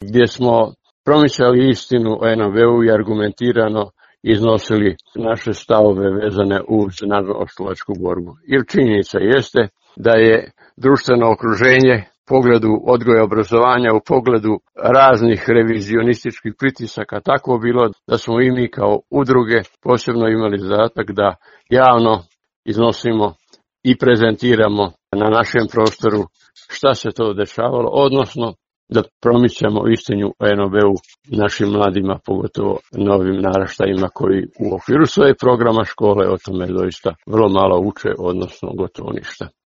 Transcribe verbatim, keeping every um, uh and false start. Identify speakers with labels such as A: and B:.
A: gdje smo promicali istinu o en a ve u i argumentirano iznosili naše stavove vezane uz narodnooslobodilačku borbu. Jer činjenica jeste da je društveno okruženje u pogledu odgoja i obrazovanja, u pogledu raznih revizionističkih pritisaka tako bilo da smo i mi kao udruge posebno imali zadatak da javno iznosimo i prezentiramo na našem prostoru šta se to dešavalo, odnosno da promičemo istinu o en a ve u našim mladima, pogotovo novim naraštajima koji u okviru svoje programa škole o tome doista vrlo malo uče, odnosno gotovo ništa.